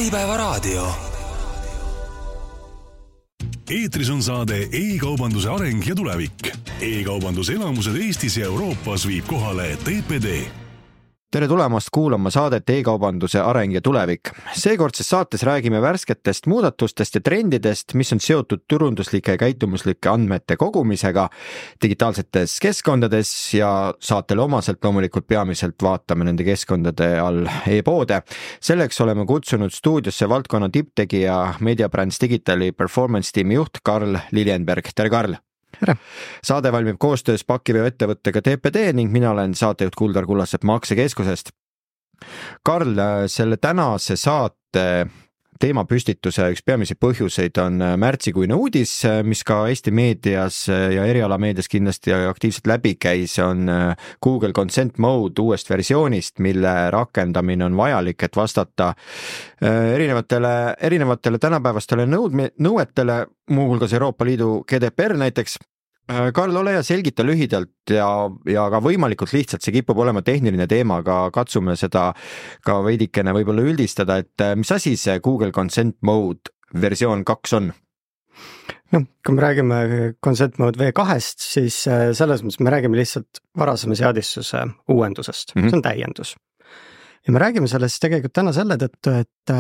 Äripäevaraadio. Eetris on saade e-kaubanduse areng ja tulevik. E-kaubanduse elamused Eestis ja Euroopas viib kohale TPD. Tere tulemast kuulama saadet e-kaubanduse areng ja tulevik. Seekordses saates räägime värsketest muudatustest ja trendidest, mis on seotud turunduslike ja käitumuslike andmete kogumisega digitaalsetes keskkondades ja saatele omaselt loomulikult peamiselt vaatame nende keskkondade all e-poode. Selleks oleme kutsunud stuudiosse valdkonna tipptegija Mediabrands Digitali performance tiimi juht Karl Lilienberg. Tere Karl! Tere. Saade valmib koostöös pakiveo ettevõttega TPD ning mina olen saatejuht Kuldar Kullasepp Maksekeskusest. Karl, selle tänase saate teemapüstituse üks peamisi põhjuseid on märtsikuine uudis, mis ka Eesti meedias ja erialameedias kindlasti aktiivselt läbi käis, on Google Consent Mode uuest versioonist, mille rakendamine on vajalik, et vastata erinevatele tänapäevastele nõuetele, muuhulgas Euroopa Liidu GDPR näiteks. Karl, ole ja selgita lühidalt ja ka võimalikult lihtsalt, see kipub olema tehniline teema, aga katsume seda ka veidikene võib-olla üldistada, et mis asi see Google Consent Mode versioon 2 on? No, kui me räägime Consent Mode V2-st, siis selles mõttes me räägime lihtsalt varasema seadistuse uuendusest. See on täiendus. Ja me räägime sellest tegelikult täna selle tõttu, et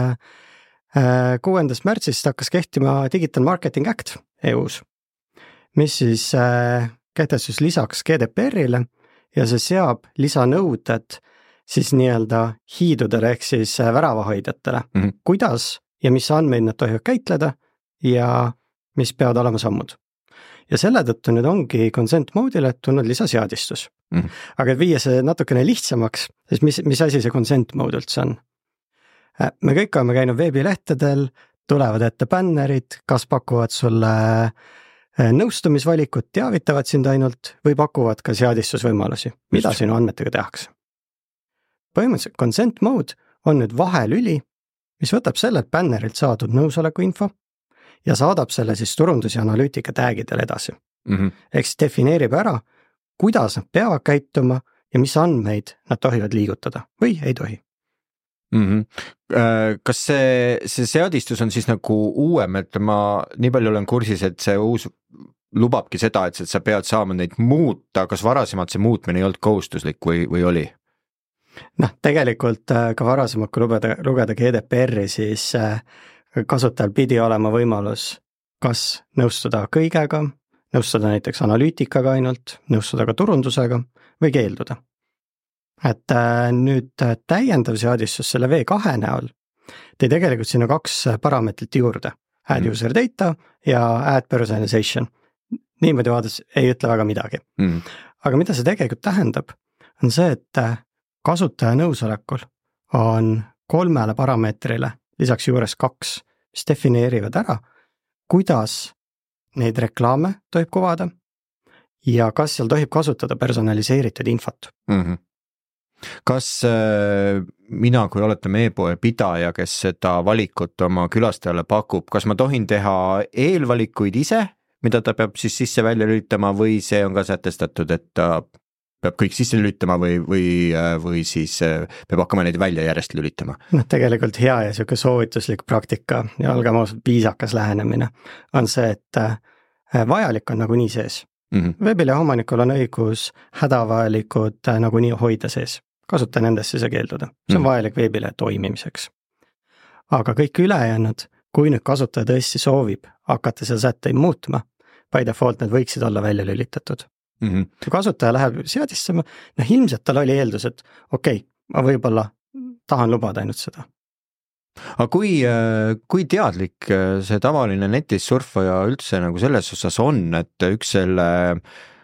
6. märtsist hakkas kehtima Digital Marketing Act EUs, mis siis kehtestus lisaks GDPR-ile ja see seab lisanõuded siis nii-öelda hiidudele ehk siis väravahoidjatele. Kuidas ja mis andmeid nad tohivad käitleda ja mis peavad olema sammud. Ja selle tõttu nüüd ongi Consent Mode'ile tulnud lisaseadistus. Aga et viia see natukene lihtsamaks, siis mis asi see Consent Mode üldse on? Me kõik oleme käinud veebilehtedel, tulevad ette bännerid, kas pakuvad sulle nõustumisvalikut, teavitavad sind ainult või pakuvad ka seadistusvõimalusi, mida sinu andmetega tehakse. Põhimõtteliselt Consent Mode on nüüd vahelüli, mis võtab sellelt bännerilt saadud nõusoleku info ja saadab selle siis turundus- ja analüütika tagidele edasi. Ehk siis defineerib ära, kuidas nad peavad käituma ja mis andmeid nad tohivad liigutada või ei tohi. Kas see seadistus on siis nagu uuem, et ma nii palju olen kursis, et see uus lubabki seda, et sa pead saama neid muuta, kas varasemalt see muutmine ei olnud kohustuslik või oli? Tegelikult ka varasemalt, kui lugeda GDPR-i, siis kasutajal pidi olema võimalus kas nõustuda kõigega, nõustuda näiteks analüütikaga ainult, nõustuda ka turundusega või keelduda. Et nüüd täiendav seadistus selle V2 näol tõi tegelikult sinna 2 parameetrit juurde. Add user data ja add personalization. Niimoodi vaadates ei ütle väga midagi. Aga mida see tegelikult tähendab, on see, et kasutaja nõusolekul on 3 parameetrile lisaks juures 2, mis defineerivad ära, kuidas neid reklaame tohib kuvada ja kas seal tohib kasutada personaliseeritud infot. Kas mina, kui oletame e-poe pidaja, kes seda valikut oma külastajale pakub, kas ma tohin teha eelvalikuid ise, mida ta peab siis sisse välja lülitama või see on ka sätestatud, et ta peab kõik sisse lülitama või siis peab hakkama neid välja järjest lülitama? Tegelikult hea ja selline soovituslik praktika ja olgem ausalt viisakas lähenemine on see, et vajalik on nagunii sees. Veebilehe omanikul on õigus hädavajalikud nagunii hoida sees. Kasuta nendesse see keelduda. See on vajalik veebilehe toimimiseks. Aga kõik ülejäänud, kui nüüd kasutaja tõesti soovib hakata seal sätteid muutma, by default need võiksid olla välja lülitatud. Kui kasutaja läheb seadistama, ilmselt tal oli eeldus, et okei, ma võib-olla tahan lubada ainult seda. Aga kui teadlik see tavaline netis surfaja üldse nagu selles osas on, et üks selle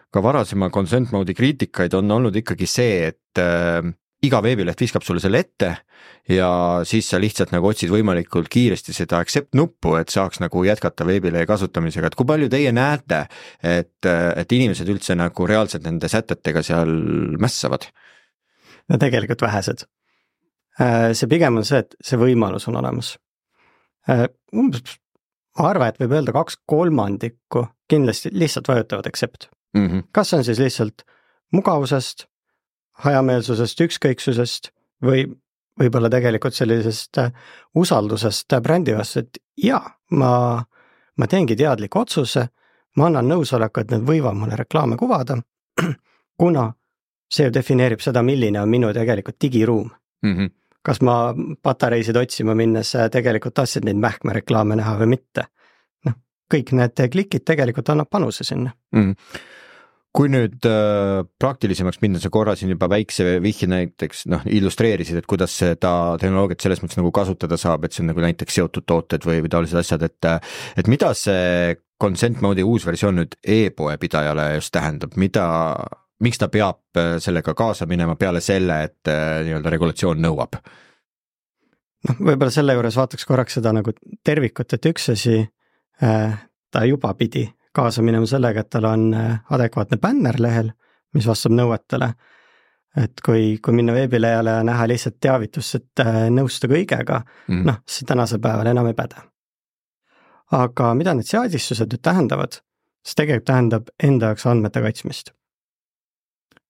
ka varasema Consent Mode'i kriitikaid on olnud ikkagi see, et iga veebileht viskab sulle selle ette ja siis sa lihtsalt nagu otsid võimalikult kiiresti seda accept nuppu, et saaks nagu jätkata veebilehe kasutamisega. Et kui palju teie näete, et inimesed üldse nagu reaalselt nende sätetega seal mässavad? No tegelikult vähesed. See pigem on see, et see võimalus on olemas. Ma arvan, et võib öelda 2/3 kindlasti lihtsalt vajutavad accept. Kas on siis lihtsalt mugavusest, hajameelsusest, ükskõiksusest või võib-olla tegelikult sellisest usaldusest brändi vastu, et jaa, ma teengi teadliku otsuse, ma annan nõusoleku, et need võivad mulle reklaame kuvada, kuna see ju defineerib seda, milline on minu tegelikult digiruum. Kas ma patareisid otsima minnes tegelikult tahtsin neid mähkmereklaame näha või mitte. Kõik need klikid tegelikult annab panuse sinna. Kui nüüd praktilisemaks minna, sa korra siin juba väikse vihje näiteks illustreerisid, et kuidas seda tehnoloogiat selles mõttes nagu kasutada saab, et see on nagu näiteks seotud tooted või taolised asjad, et mida see Consent Mode'i uus versioon nüüd e-poe pidajale just tähendab, miks ta peab sellega kaasa minema peale selle, et nii-öelda regulatsioon nõuab? Võib-olla selle juures vaataks korraks seda nagu tervikut, et üks asi ta juba pidi kaasa minema sellega, et tal on adekvaatne bänner lehel, mis vastab nõuetele. Et kui minna veebilehele ja näha lihtsalt teavitust, et nõustu kõigega, see tänasel päeval enam ei päde. Aga mida need seadistused nüüd tähendavad? See tegelikult tähendab enda jaoks andmete kaitsmist.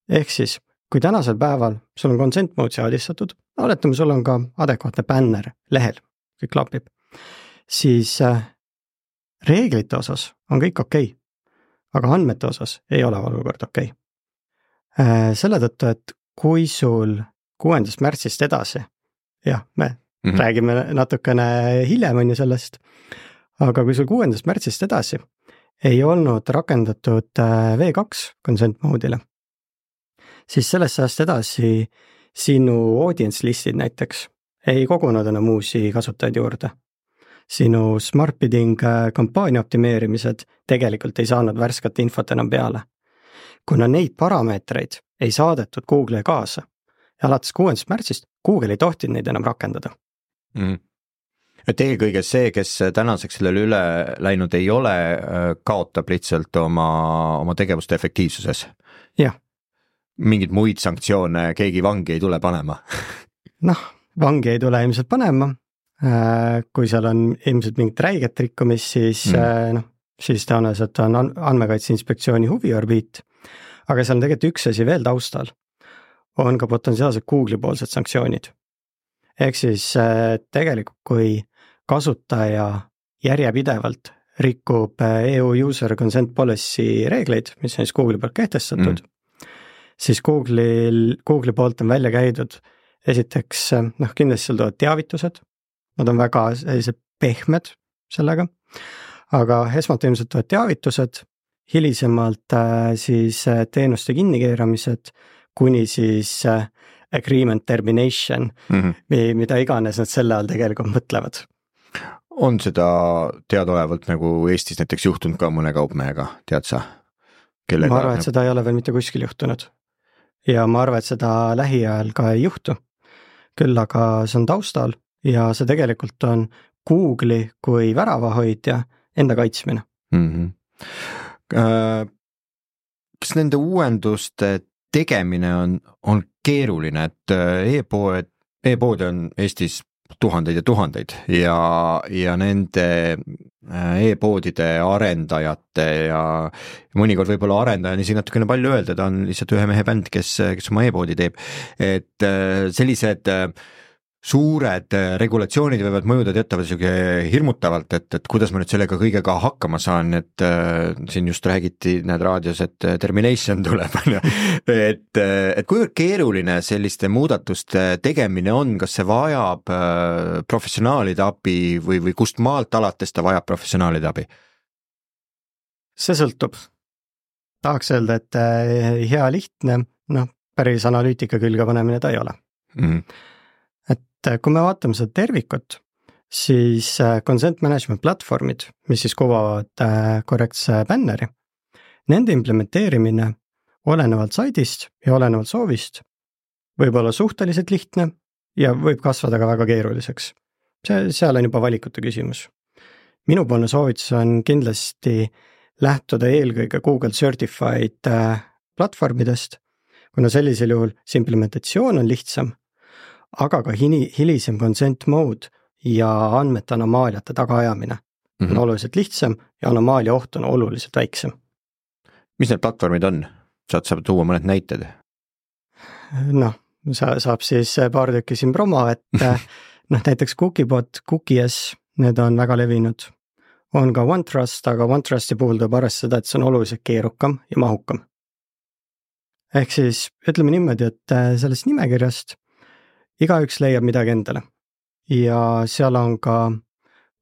Ehk siis, kui tänasel päeval sul on consent mode seadistatud, oletame, sul on ka adekvaatne bänner lehel, kõik klapib, siis reeglite osas on kõik okei, aga andmete osas ei ole olukord okei. Selle tõttu, et kui sul 6. märtsist edasi, jah, me räägime natukene hiljem on ju sellest, aga kui sul 6. märtsist edasi ei olnud rakendatud V2 consent mode'ile, siis sellest ajast edasi sinu audience listid näiteks ei kogunud enam uusi kasutajaid juurde. Sinu smart bidding kampaania optimeerimised tegelikult ei saanud värskat infot enam peale. Kuna neid parameetreid ei saadetud Google'i kaasa ja alates 6. märtsist Google ei tohtinud neid enam rakendada. Et eelkõige see, kes tänaseks sellele üle läinud ei ole, kaotab lihtsalt oma tegevuste efektiivsuses. Jah. Mingid muid sanktsioone keegi vangi ei tule panema. Vangi ei tule ilmselt panema. Kui seal on ilmselt mingit räiget rikkumist, siis tõenäoliselt on andmekaitse inspektsiooni huviorbiit, aga seal on tegelikult üks asi veel taustal, on ka potentsiaalselt Google'i poolsed sanktsioonid. Ehk siis tegelikult, kui kasutaja järjepidevalt rikub EU User Consent Policy reegleid, mis on siis Google'i poolt kehtestatud, siis Google'i poolt on välja käidud esiteks, kindlasti seal tulevad teavitused, nad on väga sellised pehmed sellega, aga esmalt ilmselt tulevad teavitused, hilisemalt siis teenuste kinnikeeramised, kuni siis agreement termination, mida iganes nad selle all tegelikult mõtlevad. On seda teadaolevalt nagu Eestis näiteks juhtunud ka mõne kaupmehega, tead sa? Ma arvan, et seda ei ole veel mitte kuskil juhtunud. Ja ma arvan, et seda lähiajal ka ei juhtu. Küll aga see on taustal ja see tegelikult on Google'i kui väravahoidja enda kaitsmine. Kas nende uuenduste tegemine on keeruline, et e-pood on Eestis tuhandeid ja tuhandeid ja nende e-poodide arendajate ja mõnikord võib-olla arendaja on isegi natukene palju öelda, ta on lihtsalt ühe mehe bänd, kes oma e-poodi teeb, et sellised suured regulatsioonid võivad mõjuda teatavalt hirmutavalt, et kuidas ma nüüd sellega kõigega hakkama saan, et siin just räägiti need raadios, et termination tuleb, et kuivõrd keeruline selliste muudatuste tegemine on, kas see vajab professionaalide abi või kust maalt alates ta vajab professionaalide abi? See sõltub. Tahaks öelda, et hea lihtne, päris analüütika külge panemine ta ei ole. Et kui me vaatame seda tervikut, siis consent management platvormid, mis siis kuvavad korrektse bänneri, nende implementeerimine olenevalt saidist ja olenevalt soovist võib olla suhteliselt lihtne ja võib kasvada ka väga keeruliseks. Seal on juba valikute küsimus. Minupoolne soovitus on kindlasti lähtuda eelkõige Google Certified platvormidest, kuna sellisel juhul see implementatsioon on lihtsam, aga ka hilisem consent mode ja andmete anomaaliate tagaajamine on oluliselt lihtsam ja anomaalia oht on oluliselt väiksem. Mis need platvormid on? Saad tuua mõned näited? saab siis paar tükki siin promo, et noh, näiteks Cookiebot, Cookies, need on väga levinud. On ka OneTrust, aga OneTrusti puhul tuleb arvestada, et see on oluliselt keerukam ja mahukam. Ehk siis ütleme niimoodi, et sellest nimekirjast igaüks leiab midagi endale. Ja seal on ka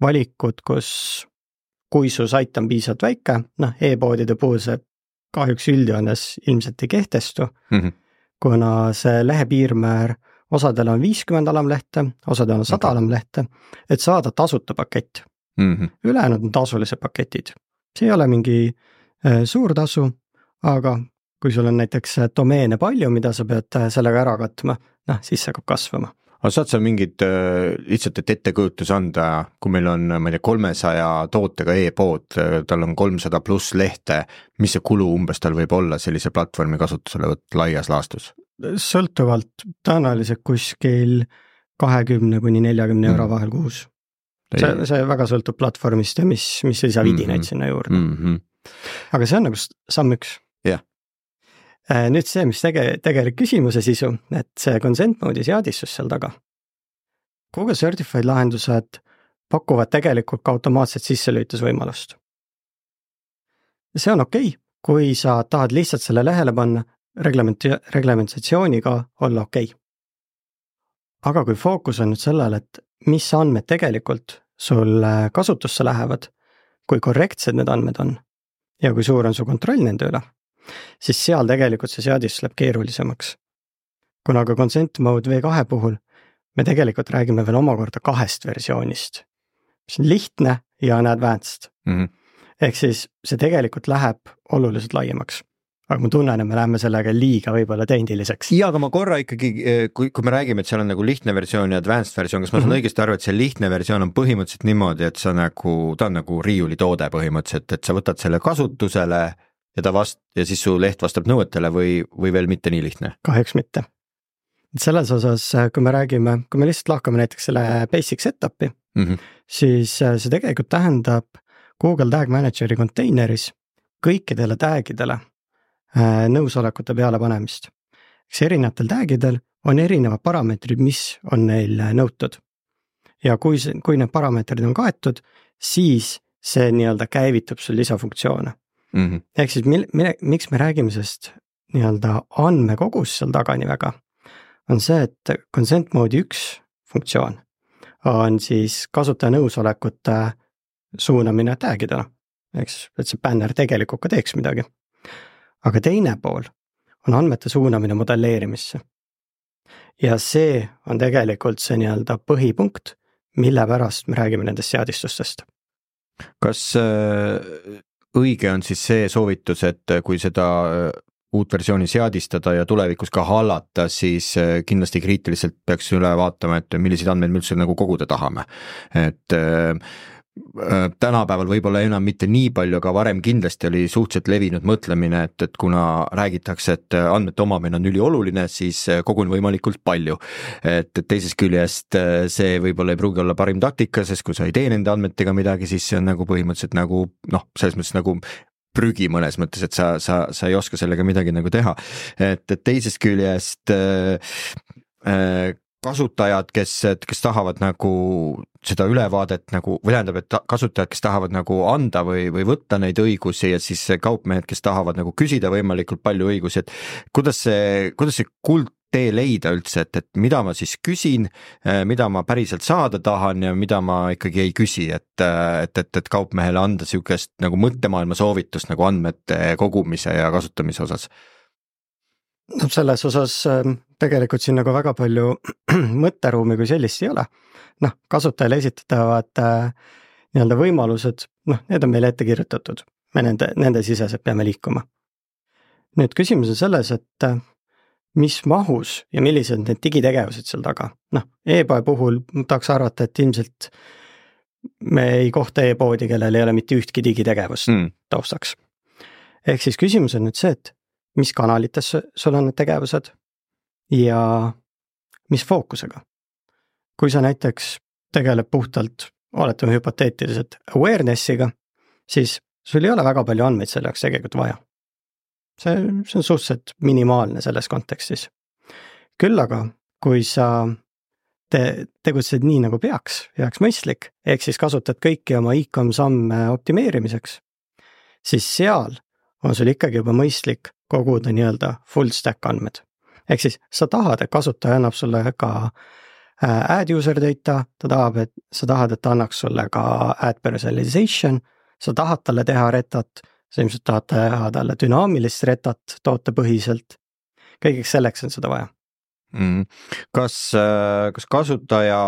valikud, kui su sait on piisavalt väike, noh, e-poodide puhul see kahjuks üldjoones ilmselt ei kehtestu, kuna see lehepiirmäär osadel on 50 alamlehte, osadel on 100 alamlehte, et saada tasuta pakett. Ülejäänud on tasulised paketid. See ei ole mingi suur tasu, aga kui sul on näiteks domeene palju, mida sa pead sellega ära katma, noh, siis see hakkab kasvama. Aga saad sa mingid lihtsalt ettekujutus anda, kui meil on, ma ei tea, 300 tootega e-pood, tal on 300 pluss lehte, mis see kulu umbes tal võib olla sellise platvormi kasutusele võtta laias laastus? Sõltuvalt tõenäoliselt kuskil 20–40 euro vahel kuus. See väga sõltub platvormist ja mis lisavidinaid sinna juurde. Aga see on nagu samm üks. Nüüd see, mis tegelik küsimuse sisu, et see consent mode'i seadistus seal taga. Google Certified lahendused pakuvad tegelikult ka automaatset sisselülitusvõimalust. See on okei, kui sa tahad lihtsalt selle lehele panna, reglementatsiooniga olla okei. Aga kui fookus on nüüd sellel, et mis andmed tegelikult sul kasutusse lähevad, kui korrektsed need andmed on ja kui suur on su kontroll nende üle, siis seal tegelikult see seadis läheb keerulisemaks. Kuna ka consent mode V2 puhul me tegelikult räägime veel omakorda 2 versioonist, mis on lihtne ja on advanced. Ehk siis see tegelikult läheb oluliselt laiemaks. Aga ma tunnen, et me läheme sellega liiga võib-olla tehniliseks. Ja, aga ma korra ikkagi, kui me räägime, et seal on nagu lihtne versioon ja advanced versioon, kas ma saan õigesti aru, et see lihtne versioon on põhimõtteliselt niimoodi, et ta on nagu riiulitoode põhimõtteliselt, et sa võtad selle kasutusele ja siis su leht vastab nõuetele või veel mitte nii lihtne? Kahjuks mitte. Selles osas, kui me lihtsalt lahkame näiteks selle basic setupi, siis see tegelikult tähendab Google Tag Manageri konteineris kõikidele tagidele nõusolekute peale panemist. Erinevatel tagidel on erinevad parameetrid, mis on neil nõutud. Ja kui need parameetrid on kaetud, siis see nii-öelda käivitub sul lisafunktsioone. Ehk siis miks me räägime sest nii-öelda andmekogus seal taga nii väga, on see, et consent mode'i 1 funktsioon on siis kasutaja nõusolekute suunamine tagidele, et see banner tegelikult ka teeks midagi. Aga teine pool on andmete suunamine modelleerimisse. Ja see on tegelikult see nii-öelda põhipunkt, mille pärast me räägime nendest seadistustest. Kas õige on siis see soovitus, et kui seda uut versiooni seadistada ja tulevikus ka hallata, siis kindlasti kriitiliselt peaks üle vaatama, et milliseid andmeid me üldse nagu koguda tahame. Et tänapäeval võib-olla enam mitte nii palju, aga varem kindlasti oli suhteliselt levinud mõtlemine, et kuna räägitakse, et andmete omamine on ülioluline, siis kogun võimalikult palju. Et teisest küljest see võib-olla ei pruugi olla parim taktika, sest kui sa ei tee nende andmetega midagi, siis see on nagu põhimõtteliselt nagu, selles mõttes nagu prügi mõnes mõttes, et sa ei oska sellega midagi nagu teha. Et teisest küljest kasutajad, kes tahavad nagu seda ülevaadet nagu, või tähendab, et kasutajad, kes tahavad nagu anda või võtta neid õigusi ja siis kaupmehed, kes tahavad nagu küsida võimalikult palju õigusi, et kuidas see kuldtee leida üldse, et mida ma siis küsin, mida ma päriselt saada tahan ja mida ma ikkagi ei küsi, et kaupmehele anda siukest nagu mõttemaailma soovitust nagu andmete kogumise ja kasutamise osas. No selles osas tegelikult siin nagu väga palju mõtteruumi kui sellist ei ole. Kasutajale esitatavad nii-öelda võimalused, need on meile ette kirjutatud. Me nende siseselt peame liikuma. Nüüd küsimus on selles, et mis mahus ja millised need digitegevused seal taga. E-poe puhul tahaks arvata, et ilmselt me ei kohta e-poodi, kellel ei ole mitte ühtki digitegevust taustaks. Ehk siis küsimus on nüüd see, et mis kanalites sul on need tegevused ja mis fookusega. Kui sa näiteks tegeleb puhtalt, oletame hüpoteetiliselt awarenessiga, siis sul ei ole väga palju andmeid selle jaoks tegelikult vaja. See on suhteliselt minimaalne selles kontekstis. Küll aga, kui sa tegutsed nii nagu peaks mõistlik, ehk siis kasutad kõiki oma e-com samme optimeerimiseks, siis seal on sul ikkagi juba mõistlik koguda nii-öelda full stack andmed. Ehk siis sa tahad, et kasutaja annab sulle ka ad user data, sa tahad, et ta annaks sulle ka ad personalization, sa tahad talle teha retat, sa ilmselt tahad teha talle dünaamilist retat tootepõhiselt. Kõigeks selleks on seda vaja. Kas kasutaja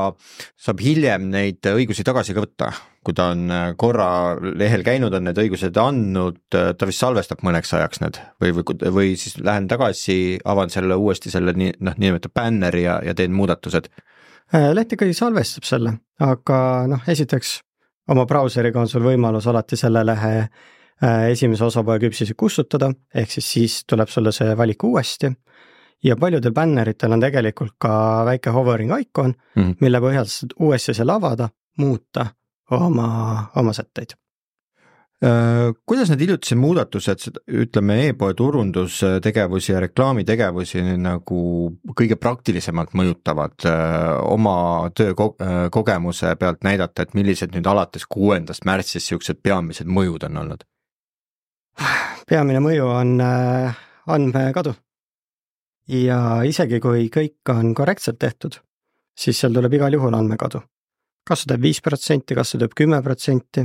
saab hiljem neid õigusi tagasi ka võtta, kui ta on korra lehel käinud, on need õigused andnud, ta vist salvestab mõneks ajaks need või siis lähen tagasi, avan selle uuesti selle nimetab banneri ja teen muudatused? Leht ikkagi salvestab selle, aga esiteks oma brauseriga on sul võimalus alati selle lehe esimese osapoole küpsisi kustutada, ehk siis tuleb sulle see valik uuesti. Ja paljudel banneritel on tegelikult ka väike hovering icon, mille põhjal saad uuesti selle avada, muuta oma sätteid. Kuidas need hiljutised muudatused, ütleme e-poe turundustegevusi ja reklaamitegevusi nagu kõige praktilisemalt mõjutavad oma töökogemuse pealt näidata, et millised nüüd alates 6. märtsist siuksed peamised mõjud on olnud? Peamine mõju on andmekadu. Ja isegi kui kõik on korrektselt tehtud, siis seal tuleb igal juhul andmekadu. Kas see teeb 5%, kas see teeb 10%,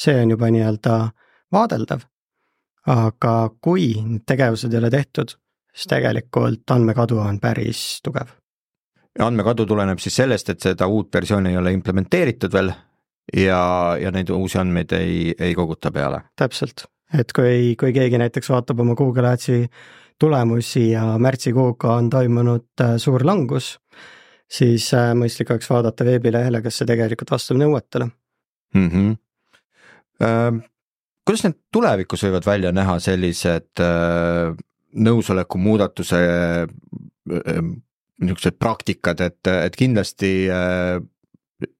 see on juba nii-öelda vaadeldav. Aga kui tegevused ei ole tehtud, siis tegelikult andmekadu on päris tugev. Ja andmekadu tuleneb siis sellest, et seda uut versiooni ei ole implementeeritud veel ja neid uusi andmeid ei koguta peale. Täpselt, et kui keegi näiteks vaatab oma Google Adsi tulemusi ja märtsikuuga on toimunud suur langus, siis mõistlik oleks vaadata veebilehele, kas see tegelikult vastab nõuetele. Kuidas need tulevikus võivad välja näha sellised nõusoleku muudatuse niisugused praktikad, et kindlasti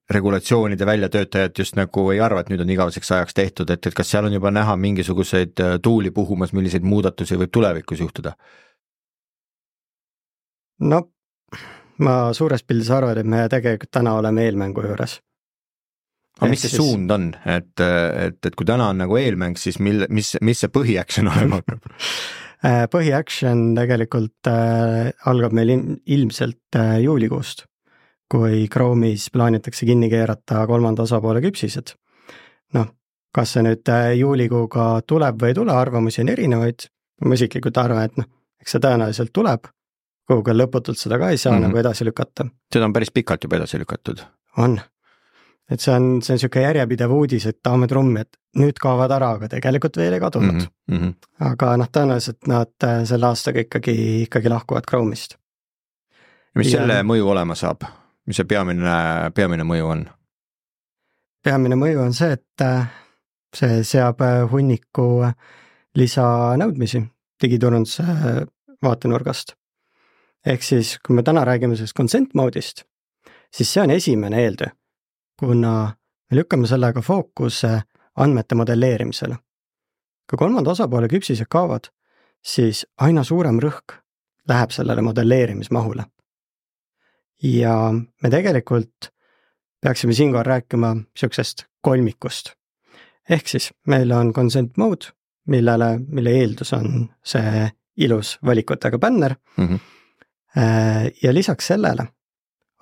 regulatsioonide väljatöötajad just nagu ei arva, et nüüd on igaveseks ajaks tehtud, et kas seal on juba näha mingisuguseid tuuli puhumas, milliseid muudatusi võib tulevikus juhtuda? No, ma suures pildis arvan, et me tegelikult täna oleme eelmängu juures. Aga mis see suund on? Et kui täna on nagu eelmäng, siis mis see põhiaction olema hakkab? Põhiaction tegelikult algab meil ilmselt juulikuust, kui Chrome'is plaanitakse kinni keerata 3. osapoole küpsised. Kas see nüüd juulikuuga tuleb või ei tule, arvamusi on erinevaid. Ma isiklikult arvan, et eks see tõenäoliselt tuleb, Google lõputult seda ka ei saa nagu edasi lükata. Seda on päris pikalt juba edasi lükatud. On. Et see on niisugune järjepidev uudis, et tahame trummi, et nüüd kaovad ära, aga tegelikult veel ei kadunud. Aga tõenäoliselt nad selle aastaga ikkagi lahkuvad Chrome'ist. Mis selle mõju olema saab? Mis see peamine mõju on? Peamine mõju on see, et see seab hunniku lisanõudmisi digiturunduse vaatenurgast. Ehk siis, kui me täna räägime sellest consent mode'ist, siis see on esimene eeltöö, kuna me lükkame sellega fookuse andmete modelleerimisele. Kui 3. osapoole küpsised kaovad, siis aina suurem rõhk läheb sellele modelleerimismahule. Ja me tegelikult peaksime siinkohal rääkima niisugusest kolmikust. Ehk siis meil on consent mode, mille eeldus on see ilus valikutega banner. Ja lisaks sellele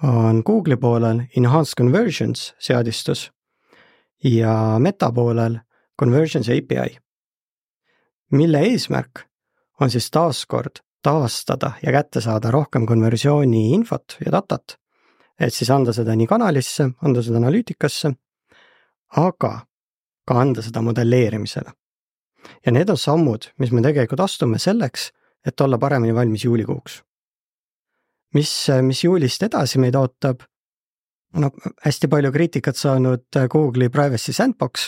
on Google'i poolel Enhanced Conversions seadistus ja Meta poolel Conversions API, mille eesmärk on siis taaskord taastada ja kätte saada rohkem konversiooni infot ja datat, et siis anda seda nii kanalisse, anda seda analüütikasse, aga ka anda seda modelleerimisele. Ja need on sammud, mis me tegelikult astume selleks, et olla paremini valmis juulikuuks. Mis juulist edasi meid ootab? Hästi palju kriitikat saanud Google'i Privacy Sandbox,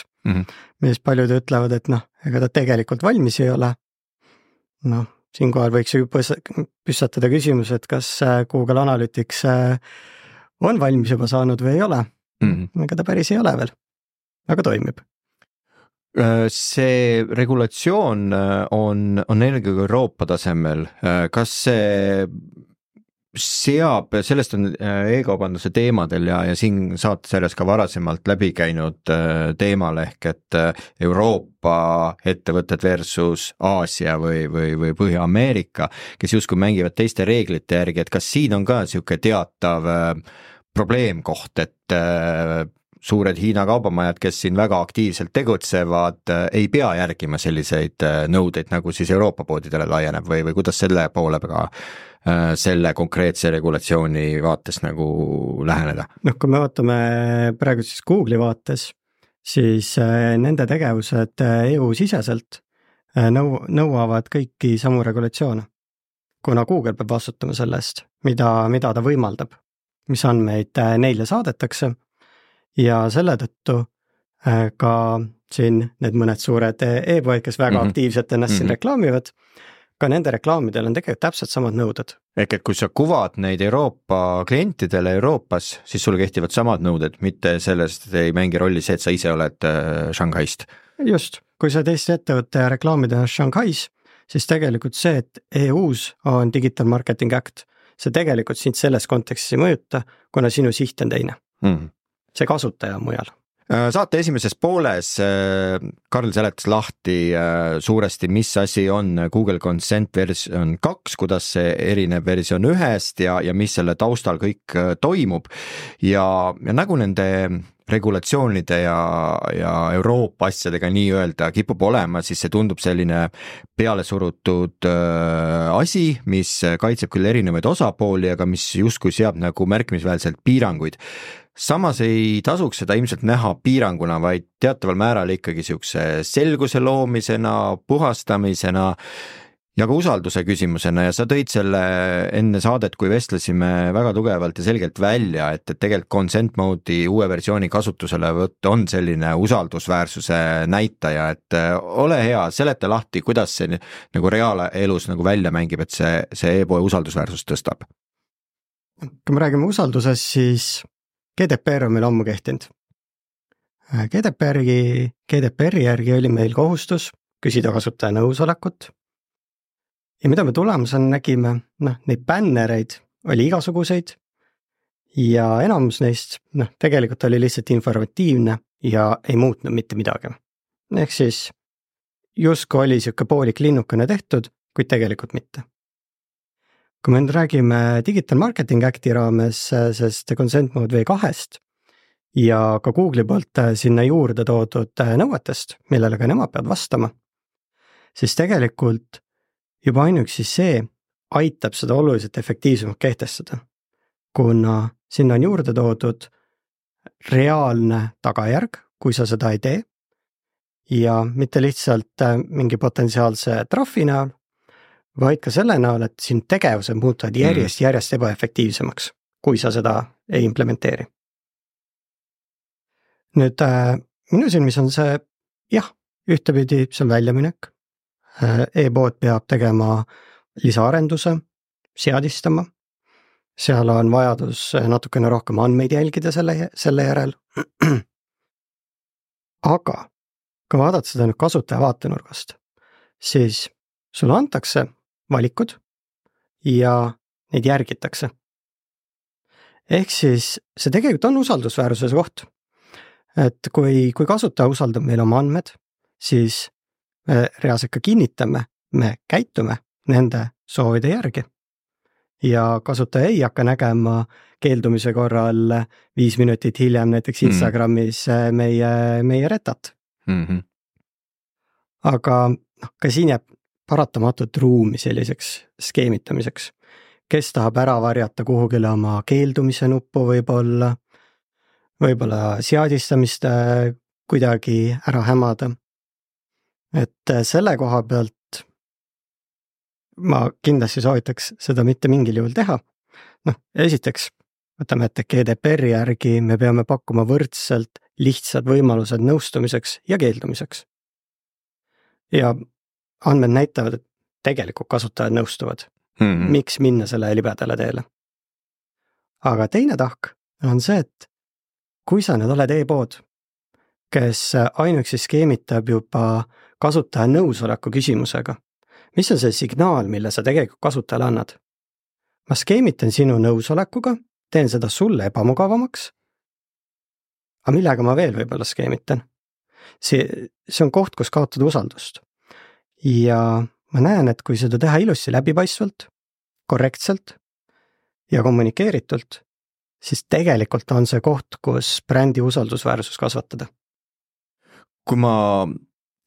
mis paljud ütlevad, et ega ta tegelikult valmis ei ole. Siinkohal võiks ju püssatada küsimus, et kas Google Analytics on valmis juba saanud või ei ole. Ega ta päris ei ole veel, aga toimib. See regulatsioon on eelkõige Euroopa tasemel. Kas see seab, sellest on e-kaubanduse teemadel ja siin saates järjest ka varasemalt läbi käinud teemal ehk et Euroopa ettevõtted versus Aasia või Põhja-Ameerika, kes justkui mängivad teiste reeglite järgi, et kas siin on ka niisugune teatav probleemkoht, et suured Hiina kaubamajad, kes siin väga aktiivselt tegutsevad, ei pea järgima selliseid nõudeid, nagu siis Euroopa poodidele laieneb või kuidas selle poole peale selle konkreetse regulatsiooni vaates nagu läheneda? Kui me vaatame praegu siis Google'i vaates, siis nende tegevused EU-siseselt nõuavad kõiki samu regulatsioone, kuna Google peab vastutama sellest, mida ta võimaldab, mis andmeid neile saadetakse ja selle tõttu ka siin need mõned suured e-poed, kes väga aktiivselt ennast siin reklaamivad, ka nende reklaamidel on tegelikult täpselt samad nõuded. Ehk et kui sa kuvad neid Euroopa klientidele Euroopas, siis sul kehtivad samad nõuded, mitte sellest ei mängi rolli see, et sa ise oled Shanghaist. Just, kui sa teist ettevõtte reklaamid ennast Shanghais, siis tegelikult see, et EU-s on Digital Marketing Act, see tegelikult sind selles kontekstis ei mõjuta, kuna sinu siht on teine. See kasutaja on mujal. Saate esimeses pooles Karl seletas lahti suuresti, mis asi on Google Consent versioon 2, kuidas see erineb versioon 1-st ja mis selle taustal kõik toimub ja nagu nende regulatsioonide ja Euroopa asjadega nii-öelda kipub olema, siis see tundub selline peale surutud asi, mis kaitseb küll erinevaid osapooli, aga mis justkui seab nagu märkimisväärselt piiranguid. Samas ei tasuks seda ilmselt näha piiranguna, vaid teataval määral ikkagi siukse selguse loomisena, puhastamisena ja ka usalduse küsimusena ja sa tõid selle enne saadet, kui vestlesime väga tugevalt ja selgelt välja, et tegelikult consent mode'i uue versiooni kasutuselevõtt on selline usaldusväärsuse näitaja, et ole hea, seleta lahti, kuidas see nagu reaalelus nagu välja mängib, et see e-poe usaldusväärsust tõstab. Kui me räägime usaldusest, siis GDPR on meil ammu kehtinud. GDPR-i järgi oli meil kohustus küsida kasutaja nõusolekut ja mida me tulemusena nägime, neid bännereid oli igasuguseid ja enamus neist tegelikult oli lihtsalt informatiivne ja ei muutnud mitte midagi. Ehk siis justkui oli siuke poolik linnukene tehtud, kuid tegelikult mitte. Kui me nüüd räägime Digital Marketing Acti raames, sest Consent Mode V2-st ja ka Google'i poolt sinna juurde toodud nõuetest, millele ka nemad peavad vastama, siis tegelikult juba ainuüksi see aitab seda oluliselt efektiivsemalt kehtestada, kuna sinna on juurde toodud reaalne tagajärg, kui sa seda ei tee ja mitte lihtsalt mingi potentsiaalse trahvi näol, vaid ka selle näol, et siin tegevused muutuvad järjest ebaefektiivsemaks, kui sa seda ei implementeeri. Nüüd minu silmis on see, ühtepidi see on väljaminek. E-pood peab tegema lisaarenduse, seadistama. Seal on vajadus natukene rohkem andmeid jälgida selle järel. Aga kui vaadata seda nüüd kasutaja vaatenurgast, siis sulle antakse valikud ja neid järgitakse. Ehk siis see tegelikult on usaldusväärsuse koht. Et kui kasutaja usaldab meil oma andmed, siis me reaalselt ka kinnitame, me käitume nende soovide järgi. Ja kasutaja ei hakka nägema keeldumise korral 5 minutit hiljem näiteks Instagramis meie retat. Aga ka siin jääb paratamatut ruumi selliseks skeemitamiseks. Kes tahab ära varjata kuhugile oma keeldumise nuppu võib-olla seadistamist kuidagi ära hämada. Et selle koha pealt ma kindlasti soovitaks seda mitte mingil juhul teha. Esiteks, võtame ette GDPR-i järgi, me peame pakkuma võrdselt lihtsad võimalused nõustumiseks ja keeldumiseks. Ja andmed näitavad, et tegelikult kasutajad nõustuvad. Miks minna selle libedale teele? Aga teine tahk on see, et kui sa nüüd oled e-pood, kes ainuüksi skeemitab juba kasutaja nõusoleku küsimusega, mis on see signaal, mille sa tegelikult kasutajale annad? ma skeemitan sinu nõusolekuga, teen seda sulle ebamugavamaks, aga millega ma veel võib-olla skeemitan? See on koht, kus kaotada usaldust. Ja ma näen, et kui seda teha ilusti läbipaistvalt, korrektselt ja kommunikeeritult, siis tegelikult on see koht, kus brändi usaldusväärsus kasvatada. Kui ma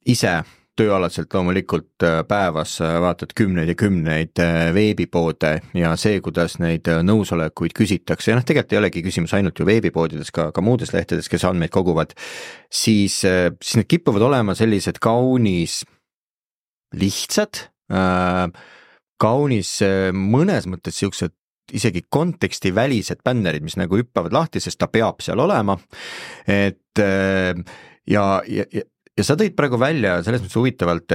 ise tööalaselt loomulikult päevas vaatad kümneid ja kümneid veebipoode ja see, kuidas neid nõusolekuid küsitakse, ja tegelikult ei olegi küsimus ainult ju veebipoodides, ka muudes lehtedes, kes andmeid koguvad, siis need kippuvad olema sellised kaunis lihtsad, kaunis mõnes mõttes siuksed isegi konteksti välised bännerid, mis nagu hüppavad lahti, sest ta peab seal olema, et ja sa tõid praegu välja selles mõttes huvitavalt,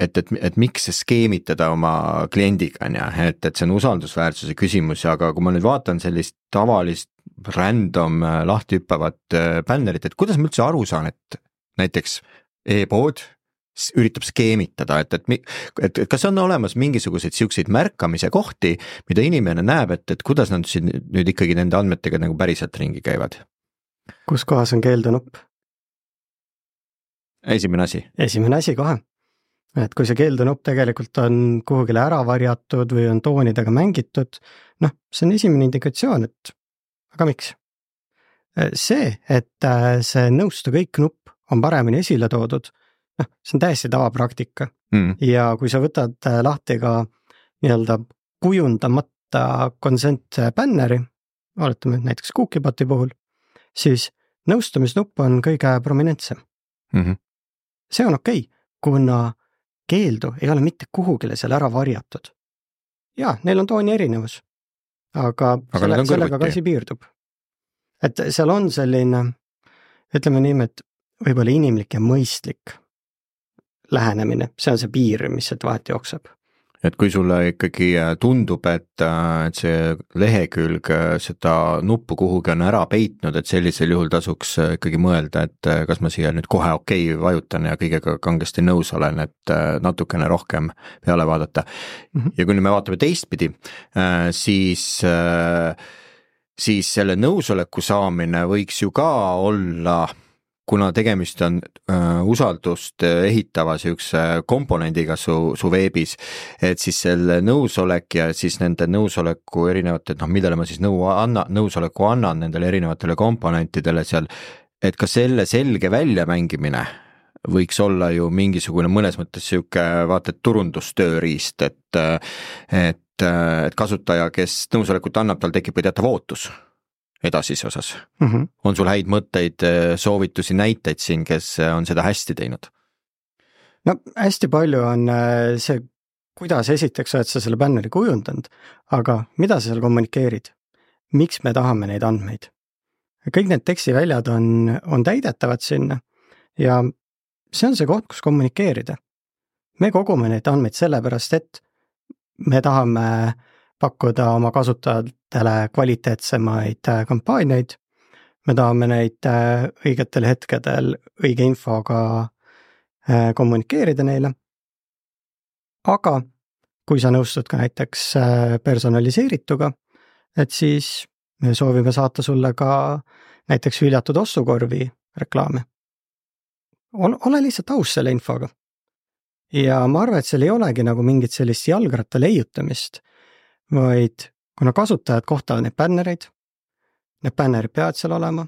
et miks see skeemitada oma kliendiga, et see on usaldusväärsuse küsimus, aga kui ma nüüd vaatan sellist tavalist random lahti hüppavat bännerit, et kuidas ma üldse aru saan, et näiteks e-pood üritab skeemitada, et kas on olemas mingisuguseid siukseid märkamise kohti, mida inimene näeb, et kuidas nad nüüd ikkagi nende andmetega nagu päriselt ringi käivad? Kus kohas on keeldunupp? Esimene asi kohe. Et kui see keeldunupp tegelikult on kuhugile ära varjatud või on toonidega mängitud, see on esimene indikatsioon, et aga miks? See, et see nõustu kõik nupp on paremini esile toodud, see on täiesti tavapraktika. Ja kui sa võtad lahti ka nii-öelda kujundamata consent banneri, oletame näiteks Cookieboti puhul, siis nõustumisnupp on kõige prominentsem. See on okei, kuna keeldu ei ole mitte kuhugile seal ära varjatud. Jaa, neil on tooni erinevus, aga sellega ka asi piirdub. Et seal on selline, ütleme nii, et võib-olla inimlik ja mõistlik lähenemine, see on see piir, mis sealt vahet jookseb. Et kui sulle ikkagi tundub, et see lehekülg seda nuppu kuhugi on ära peitnud, et sellisel juhul tasuks ikkagi mõelda, et kas ma siia nüüd kohe okei vajutan ja kõigega kangesti nõus olen, et natukene rohkem peale vaadata. Ja kui me vaatame teistpidi, siis selle nõusoleku saamine võiks ju ka olla, kuna tegemist on usaldust ehitava siukse komponendiga su veebis, et siis selle nõusolek ja siis nende nõusoleku erinevate, millele ma siis nõusoleku annan nendele erinevatele komponentidele seal, et ka selle selge väljamängimine võiks olla ju mingisugune mõnes mõttes siuke vaata turundustööriist, et kasutaja, kes nõusolekut annab, tal tekib ka teatav ootus edasise osas. On sul häid mõtteid, soovitusi, näiteid siin, kes on seda hästi teinud? No hästi palju on see, kuidas esiteks oled sa selle bänneri kujundanud, aga mida sa seal kommunikeerid? Miks me tahame neid andmeid? Kõik need tekstiväljad on täidetavad sinna ja see on see koht, kus kommunikeerida. Me kogume neid andmeid sellepärast, et me tahame pakkuda oma kasutajatele kvaliteetsemaid kampaaniaid, me tahame neid õigetel hetkedel õige infoga kommunikeerida neile, aga kui sa nõustud ka näiteks personaliseerituga, et siis me soovime saata sulle ka näiteks hüljatud ostukorvi reklaami. Ole lihtsalt aus selle infoga. Ja ma arvan, et seal ei olegi nagu mingit sellist jalgratta leiutamist, vaid kuna kasutajad kohtavad need bännereid, need bännerid peavad seal olema,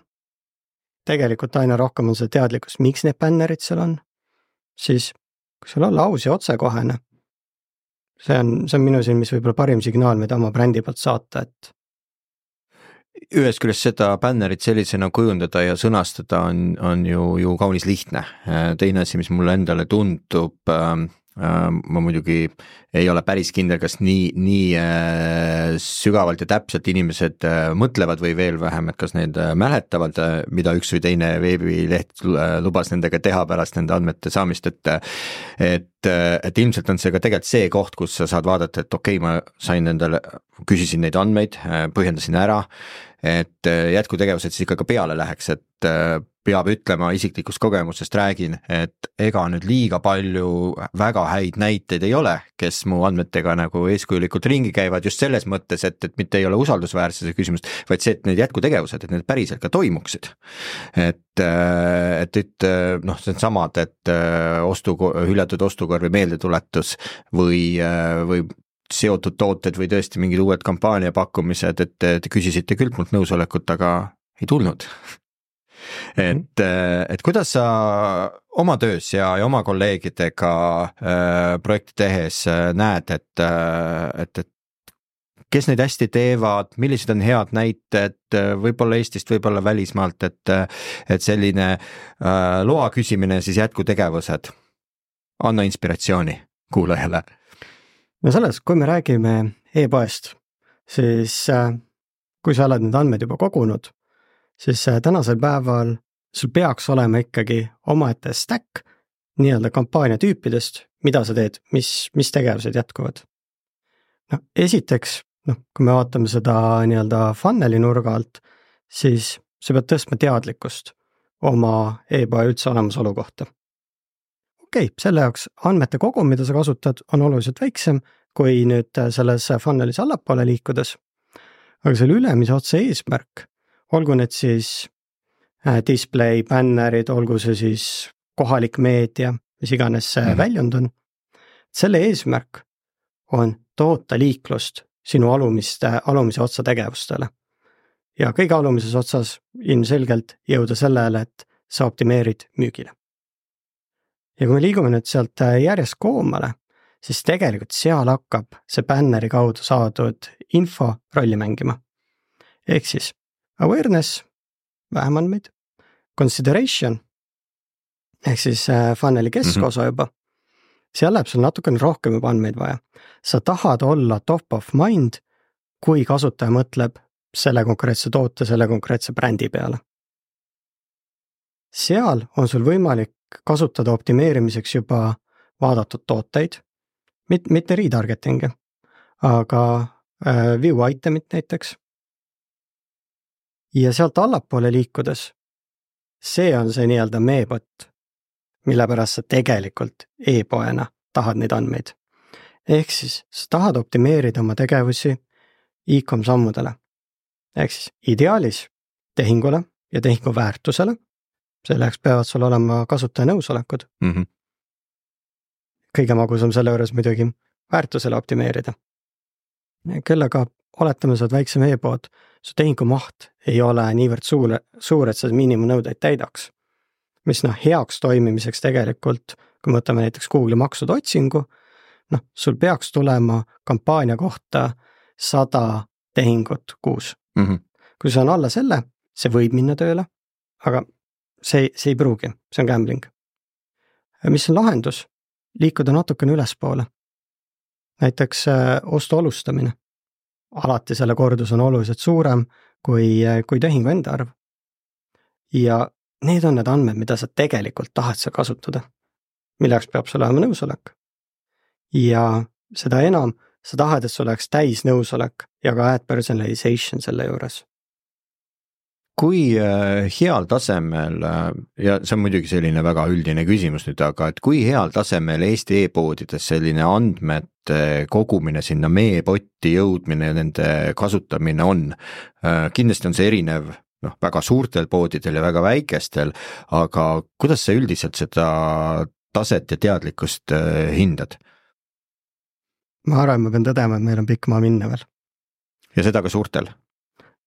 tegelikult aina rohkem on see teadlikkus, miks need bännerid seal on, siis kui sul olla aus ja otsekohene, see on minu silmis võib-olla parim signaal, mida oma brändi poolt saata, et ühest küljest seda bännerit sellisena kujundada ja sõnastada on ju kaunis lihtne. Teine asi, mis mulle endale tundub, ma muidugi ei ole päris kindel, kas nii sügavalt ja täpselt inimesed mõtlevad või veel vähem, et kas need mäletavad, mida üks või teine veebileht lubas nendega teha pärast nende andmete saamist, et et ilmselt on see ka tegelikult see koht, kus sa saad vaadata, et okei, ma sain endale, küsisin neid andmeid, põhjendasin ära, et jätkutegevused siis ikka ka peale läheks, et peab ütlema, isiklikust kogemusest räägin, et ega nüüd liiga palju väga häid näiteid ei ole, kes mu andmetega nagu eeskujulikult ringi käivad just selles mõttes, et mitte ei ole usaldusväärsuse küsimust, vaid see, et need jätkutegevused, et need päriselt ka toimuksid. Et noh, see on samad, et hüljatud ostukorvi meeldetuletus või seotud tooted või tõesti mingid uued kampaania pakkumised, et te küsisite küll mult nõusolekut, aga ei tulnud. Et kuidas sa oma töös ja oma kolleegidega projekti tehes näed, et kes neid hästi teevad, millised on head näited, võib-olla Eestist, võib-olla välismaalt, et selline loa küsimine siis jätkutegevused, anna inspiratsiooni kuulajale. No selles, kui me räägime e-poest, siis kui sa oled need andmed juba kogunud, siis tänasel päeval sul peaks olema ikkagi omaette stack nii-öelda kampaania tüüpidest, mida sa teed, mis tegevused jätkuvad. No, esiteks, kui me vaatame seda nii-öelda funneli nurga alt, siis sa pead tõstma teadlikkust oma e-poe üldse olemasolu kohta. Okei, selle jaoks andmete kogum, mida sa kasutad, on oluliselt väiksem kui nüüd selles funnelis allapoole liikudes. Aga selle ülemise otsa eesmärk, olgu need siis display, bannerid, olgu see siis kohalik meedia, mis iganes see väljund on, selle eesmärk on toota liiklust sinu alumise otsa tegevustele. Ja kõige alumises otsas ilmselgelt jõuda sellele, et sa optimeerid müügile. Ja kui me liigume nüüd sealt järjest koomale, siis tegelikult seal hakkab see banneri kaudu saadud info rolli mängima. Ehk siis awareness, vähem andmeid, consideration, ehk siis funneli keskosa juba, seal läheb sul natukene rohkem juba andmeid vaja. Sa tahad olla top of mind, kui kasutaja mõtleb selle konkreetse toote, selle konkreetse brändi peale. Seal on sul võimalik kasutada optimeerimiseks juba vaadatud tooteid, mitte retargeting, aga view itemit näiteks. Ja sealt allapoole liikudes, see on see nii-öelda meebot, mille pärast sa tegelikult e-poena tahad neid andmeid. Ehk siis sa tahad optimeerida oma tegevusi e-com sammudele. Ehk siis ideaalis tehingule ja tehingu väärtusele, selleks peavad sul olema kasutaja nõusolekud. Kõige magusam selle juures muidugi väärtusele optimeerida. Küll aga oletame, sa oled väiksem e-pood, su tehingu maht ei ole niivõrd suur, et sa miinimumnõudeid täidaks. Mis heaks toimimiseks tegelikult, kui me võtame näiteks Google'i maksude otsingu, sul peaks tulema kampaania kohta 100 tehingut kuus. Kui see on alla selle, see võib minna tööle, aga see ei pruugi, see on gambling. Mis on lahendus? Liikuda natukene ülespoole. Näiteks ostu alustamine. Alati selle kordus on oluliselt suurem kui tehingu enda arv. Ja need on need andmed, mida sa tegelikult tahad sa kasutada. Milleks peab sul olema nõusolek. Ja seda enam sa tahad, et sul oleks täis nõusolek ja ka ad personalization selle juures. Kui heal tasemel, ja see on muidugi selline väga üldine küsimus nüüd, aga et kui heal tasemel Eesti e-poodides selline andmete kogumine sinna meebotti jõudmine ja nende kasutamine on? Kindlasti on see erinev väga suurtel poodidel ja väga väikestel, aga kuidas sa üldiselt seda taset ja teadlikkust hindad? Ma arvan, ma pean tõdema, et meil on pikk maa minna veel. Ja seda ka suurtel?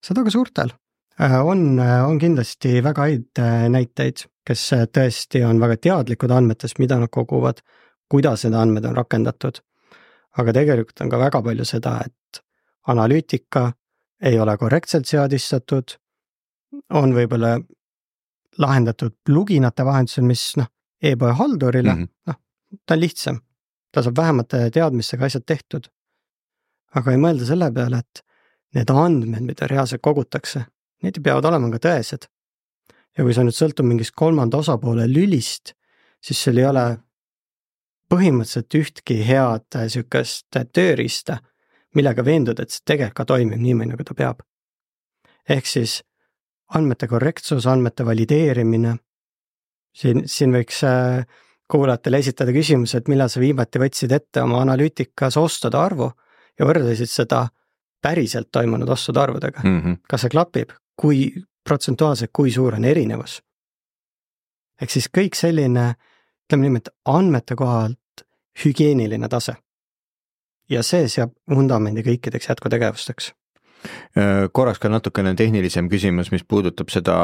Seda ka suurtel. On kindlasti väga häid näiteid, kes tõesti on väga teadlikud andmetest, mida nad koguvad, kuidas need andmed on rakendatud. Aga tegelikult on ka väga palju seda, et analüütika ei ole korrektselt seadistatud, on võib-olla lahendatud pluginate vahendusel, mis e-poe haldurile, ta on lihtsam, ta saab vähemate teadmistega asjad tehtud. Aga ei mõelda selle peale, et need andmed, mida reaalselt kogutakse, need peavad olema ka tõesed. Ja kui sa nüüd sõltub mingist kolmanda osapoole lülist, siis sul ei ole põhimõtteliselt ühtki head sükest tööriista, millega veenduda, et see tegelikult ka toimib niimoodi, nagu ta peab. Ehk siis andmete korrektsus, andmete valideerimine. Siin võiks kuulajatele esitada küsimus, et millal sa viimati võtsid ette oma analüütikas ostude arvu ja võrdlesid seda päriselt toimunud ostude arvudega. Kas see klapib? Kui protsentuaalselt, kui suur on erinevus? Ehk siis kõik selline, ütleme nimelt, andmete kohalt hügieeniline tase. Ja see seab vundamendi kõikideks jätkutegevusteks. Korraks ka natukene tehnilisem küsimus, mis puudutab seda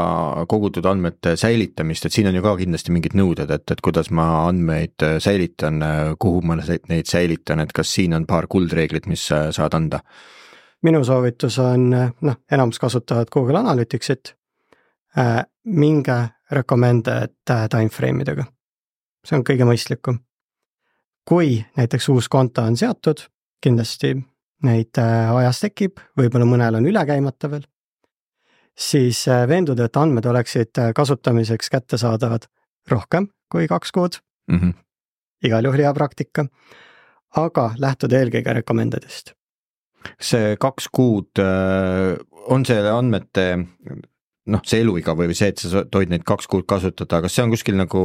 kogutud andmete säilitamist, et siin on ju ka kindlasti mingid nõuded, et kuidas ma andmeid säilitan, kuhu ma neid säilitan, et kas siin on paar kuldreeglit, mis saad anda? Minu soovitus on, enamus kasutavad Google Analyticsit, minge recommended timeframe'idega. See on kõige mõistlikum. Kui näiteks uus konto on seatud, kindlasti neid ajas tekib, võib-olla mõnel on üle käimata veel, siis veenduda, et andmed oleksid kasutamiseks kättesaadavad rohkem kui 2 kuud. Igal juhul hea praktika, aga lähtuda eelkõige recommendedist. See 2 kuud on see andmete, see eluiga või see, et sa tohid neid 2 kuud kasutada, kas see on kuskil nagu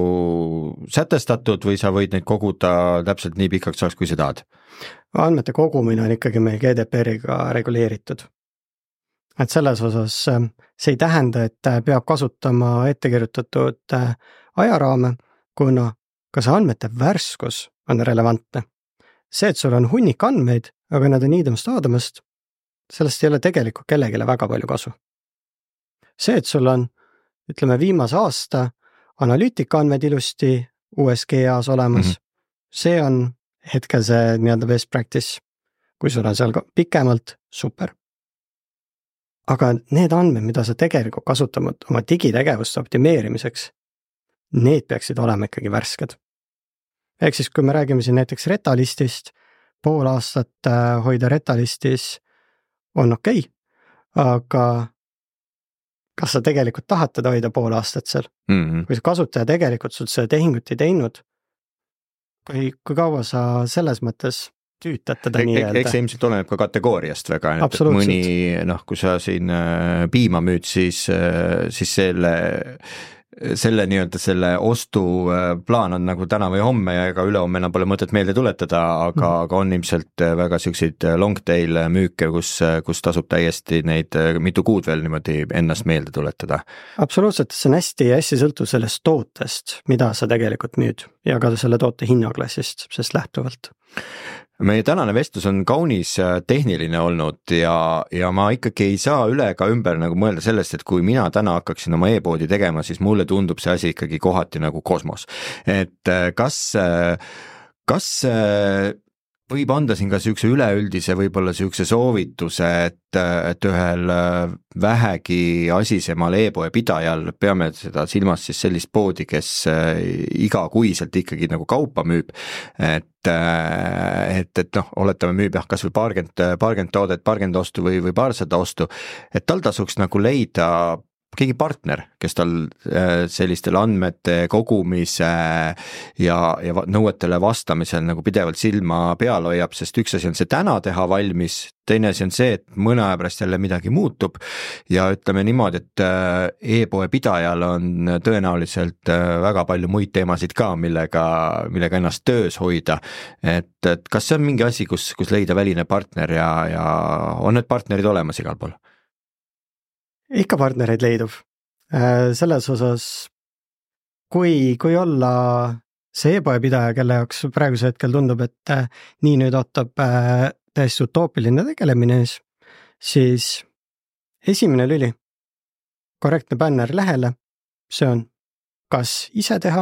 sätestatud või sa võid neid koguda täpselt nii pikaks ajaks, kui sa tahad? Andmete kogumine on ikkagi meil GDPR-iga reguleeritud. Et selles osas see ei tähenda, et peab kasutama ettekirjutatud ajaraame, kuna ka see andmete värskus on relevantne. See, et sul on hunnik andmeid, aga nad on niidamast-aadamast, sellest ei ole tegelikult kellegile väga palju kasu. See, et sul on, ütleme, viimase aasta analüütika andmed ilusti USGA-s olemas, see on hetkel see nii-öelda best practice, kui sul on seal pikemalt, super. Aga need andmed, mida sa tegelikult kasutavad oma digitegevuste optimeerimiseks, need peaksid olema ikkagi värsked. Ehk siis, kui me räägime siin näiteks retalistist, pool aastat hoida retalistis on okei, aga kas sa tegelikult tahad teda hoida pool aastat seal? Kui see kasutaja tegelikult sul seda tehingut ei teinud, kui kaua sa selles mõttes tüütad teda nii-öelda? Eks ilmselt oleneb ka kategooriast väga, et mõni, kui sa siin piima müüd, siis selle nii-öelda selle ostuplaan on nagu täna või homme ja ega ülehomme enam pole mõtet meelde tuletada, aga on ilmselt väga selliseid long tail müüke, kus tasub täiesti neid mitu kuud veel niimoodi ennast meelde tuletada. Absoluutselt, see on hästi sõltuv sellest tootest, mida sa tegelikult müüd ja ka selle toote hinnaklassist, sest lähtuvalt. Meie tänane vestlus on kaunis tehniline olnud ja ma ikkagi ei saa üle ega ümber nagu mõelda sellest, et kui mina täna hakkaksin oma e-poodi tegema, siis mulle tundub see asi ikkagi kohati nagu kosmos. Et kas võib anda siin ka sihukese üleüldise võib-olla sihukese soovituse, et ühel vähegi asisemal e-poe pidajal, peame seda silmas siis sellist poodi, kes igakuiselt ikkagi nagu kaupa müüb, et oletame müüb kas või paarkümmend toodet, paarkümmend ostu või paarsada ostu, et tal tasuks nagu leida keegi partner, kes tal sellistel andmete kogumise ja nõuetele vastamisel nagu pidevalt silma peal hoiab, sest üks asi on see täna teha valmis, teine asi on see, et mõne aja pärast jälle midagi muutub ja ütleme niimoodi, et e-poe pidajal on tõenäoliselt väga palju muid teemasid ka, millega ennast töös hoida, et kas see on mingi asi, kus leida väline partner ja on need partnerid olemas igal pool? Ikka partnereid leidub. Selles osas, kui olla see e-poe pidaja, kelle jaoks praeguse hetkel tundub, et nii nüüd ootab täiesti utoopiline tegelemine, siis esimene lüli, korrektne banner lehele, see on kas ise teha,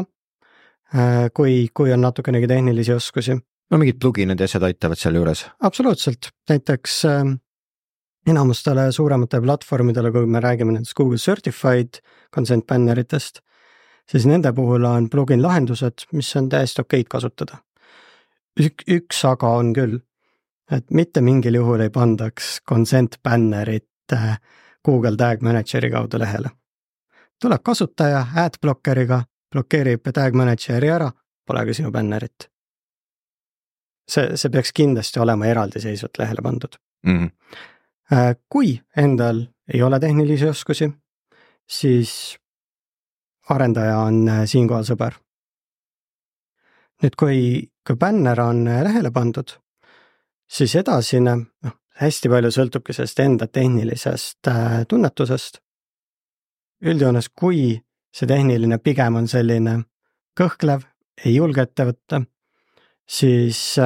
kui on natukenegi tehnilisi oskusi. No mingid pluginid ja asjad aitavad seal juures? Absoluutselt, näiteks enamustele suurematele platvormidele, kui me räägime nendest Google Certified consent banneritest, siis nende puhul on plugin lahendused, mis on täiesti okeid kasutada. Üks aga on küll, et mitte mingil juhul ei pandaks consent bannerit Google Tag Manageri kaudu lehele. Tuleb kasutaja adblockeriga, blokeerib Tag Manageri ära, pole ka sinu bannerit. see peaks kindlasti olema eraldiseisvalt lehele pandud. Kui endal ei ole tehnilisi oskusi, siis arendaja on siinkohal sõber. Nüüd, kui bänner on lehele pandud, siis edasine, hästi palju sõltubki sellest enda tehnilisest tunnetusest. Üldjoones, kui see tehniline pigem on selline kõhklev, ei julge ette võtta, siis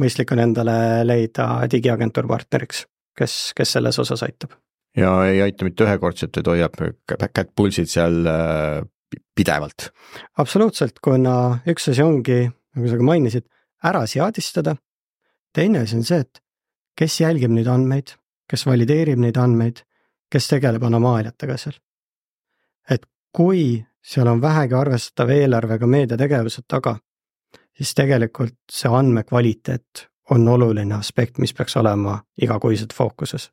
mõistlik on endale leida digiagentuur partneriks, kes selles osas aitab. Ja ei aita mitte ühekordselt, et hoiab kätt pulsid seal pidevalt. Absoluutselt, kuna üks asi ongi, nagu sa ka mainisid, ära seadistada. Teine asi on see, et kes jälgib neid andmeid, kes valideerib neid andmeid, kes tegeleb anomaaliatega seal. Et kui seal on vähegi arvestatav eelarvega meediategevused taga, siis tegelikult see andmekvaliteet on oluline aspekt, mis peaks olema igakuiselt fookuses.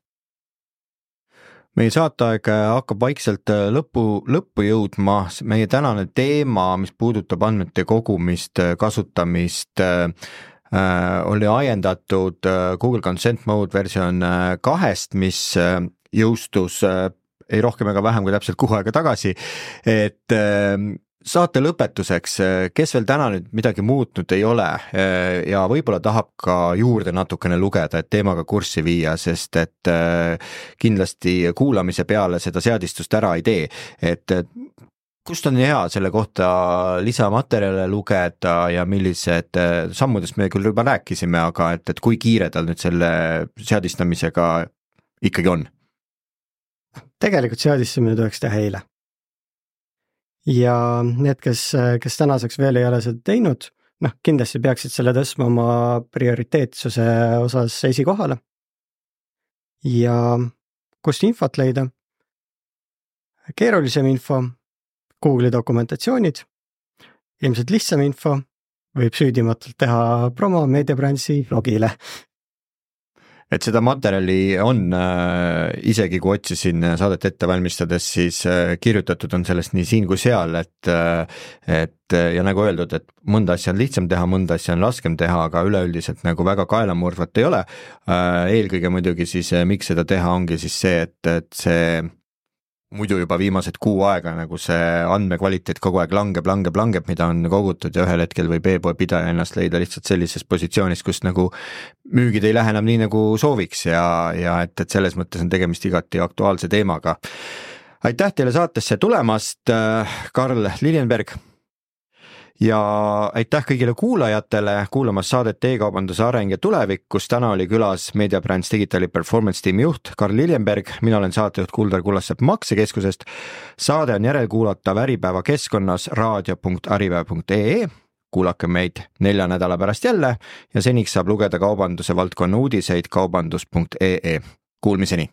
Meie saateaeg hakkab vaikselt lõppu jõudma. Meie tänane teema, mis puudutab andmete kogumist, kasutamist, oli ajendatud Google Consent Mode versioon 2, mis jõustus ei rohkem ega vähem kui täpselt kuu aega tagasi, et saate lõpetuseks, kes veel täna nüüd midagi muutnud ei ole ja võib-olla tahab ka juurde natukene lugeda, et teemaga kurssi viia, sest et kindlasti kuulamise peale seda seadistust ära ei tee, et kust on hea selle kohta lisamaterjale lugeda ja millised sammudest me küll juba rääkisime, aga et kui kiire tal nüüd selle seadistamisega ikkagi on? Tegelikult seadistamine tuleks teha eile. Ja need, kes tänaseks veel ei ole seda teinud, kindlasti peaksid selle tõstma oma prioriteetsuse osas esikohale. Ja kust infot leida? Keerulisem info, Google'i dokumentatsioonid, ilmselt lihtsam info võib süüdimatult teha promo meediabrandsi blogile. Et seda materjali on isegi kui otsisin saadet ette valmistades, siis kirjutatud on sellest nii siin kui seal, et ja nagu öeldud, et mõnda asja on lihtsam teha, mõnda asja on raskem teha, aga üleüldiselt nagu väga kaelamurdvat ei ole. Eelkõige muidugi siis miks seda teha ongi siis see, et see muidu juba viimased kuu aega nagu see andmekvaliteet kogu aeg langeb, mida on kogutud ja ühel hetkel võib e-poe pidaja ennast leida lihtsalt sellises positsioonis, kus nagu müügid ei lähe enam nii nagu sooviks ja et selles mõttes on tegemist igati aktuaalse teemaga. Aitäh teile saatesse tulemast, Karl Liljenberg, ja aitäh kõigile kuulajatele kuulamas saadet e-kaubanduse areng ja tulevik, kus täna oli külas MediaBrands Digitali Performance tiimi juht Karl Liljenberg, mina olen saatejuht Kuldar Kullasepp Maksekeskusest. Saade on järelkuulatav Äripäeva keskkonnas raadio.aripäev.ee. Kuulake meid 4 nädala pärast jälle ja seniks saab lugeda kaubanduse valdkonna uudiseid kaubandus.ee. Kuulmiseni!